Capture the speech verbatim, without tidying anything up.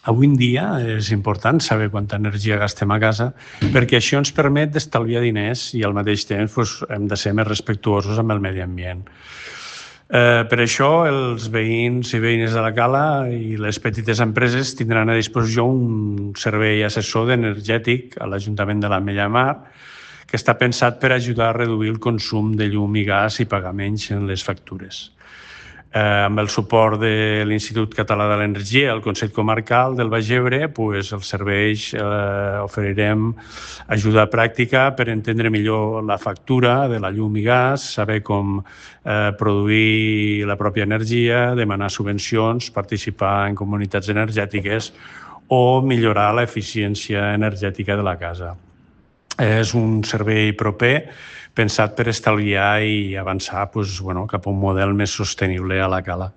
Avui en dia és important saber quanta energia gastem a casa perquè això ens permet d'estalviar diners i al mateix temps doncs, hem de ser més respectuosos amb el medi ambient. Eh, per això els veïns i veïnes de la Cala i les petites empreses tindran a disposició un servei assessor d'energètic a l'Ajuntament de l'Ametlla de Mar que està pensat per ajudar a reduir el consum de llum i gas i pagar menys en les factures. Eh, amb el suport de l'Institut Català de l'Energia, el Consell Comarcal del Baix Ebre, pues, els serveis eh, oferirem ajuda pràctica per entendre millor la factura de la llum i gas, saber com eh, produir la pròpia energia, demanar subvencions, participar en comunitats energètiques o millorar l'eficiència energètica de la casa. És un servei proper pensat per estalviar i avançar doncs, bueno, cap a un model més sostenible a la Cala.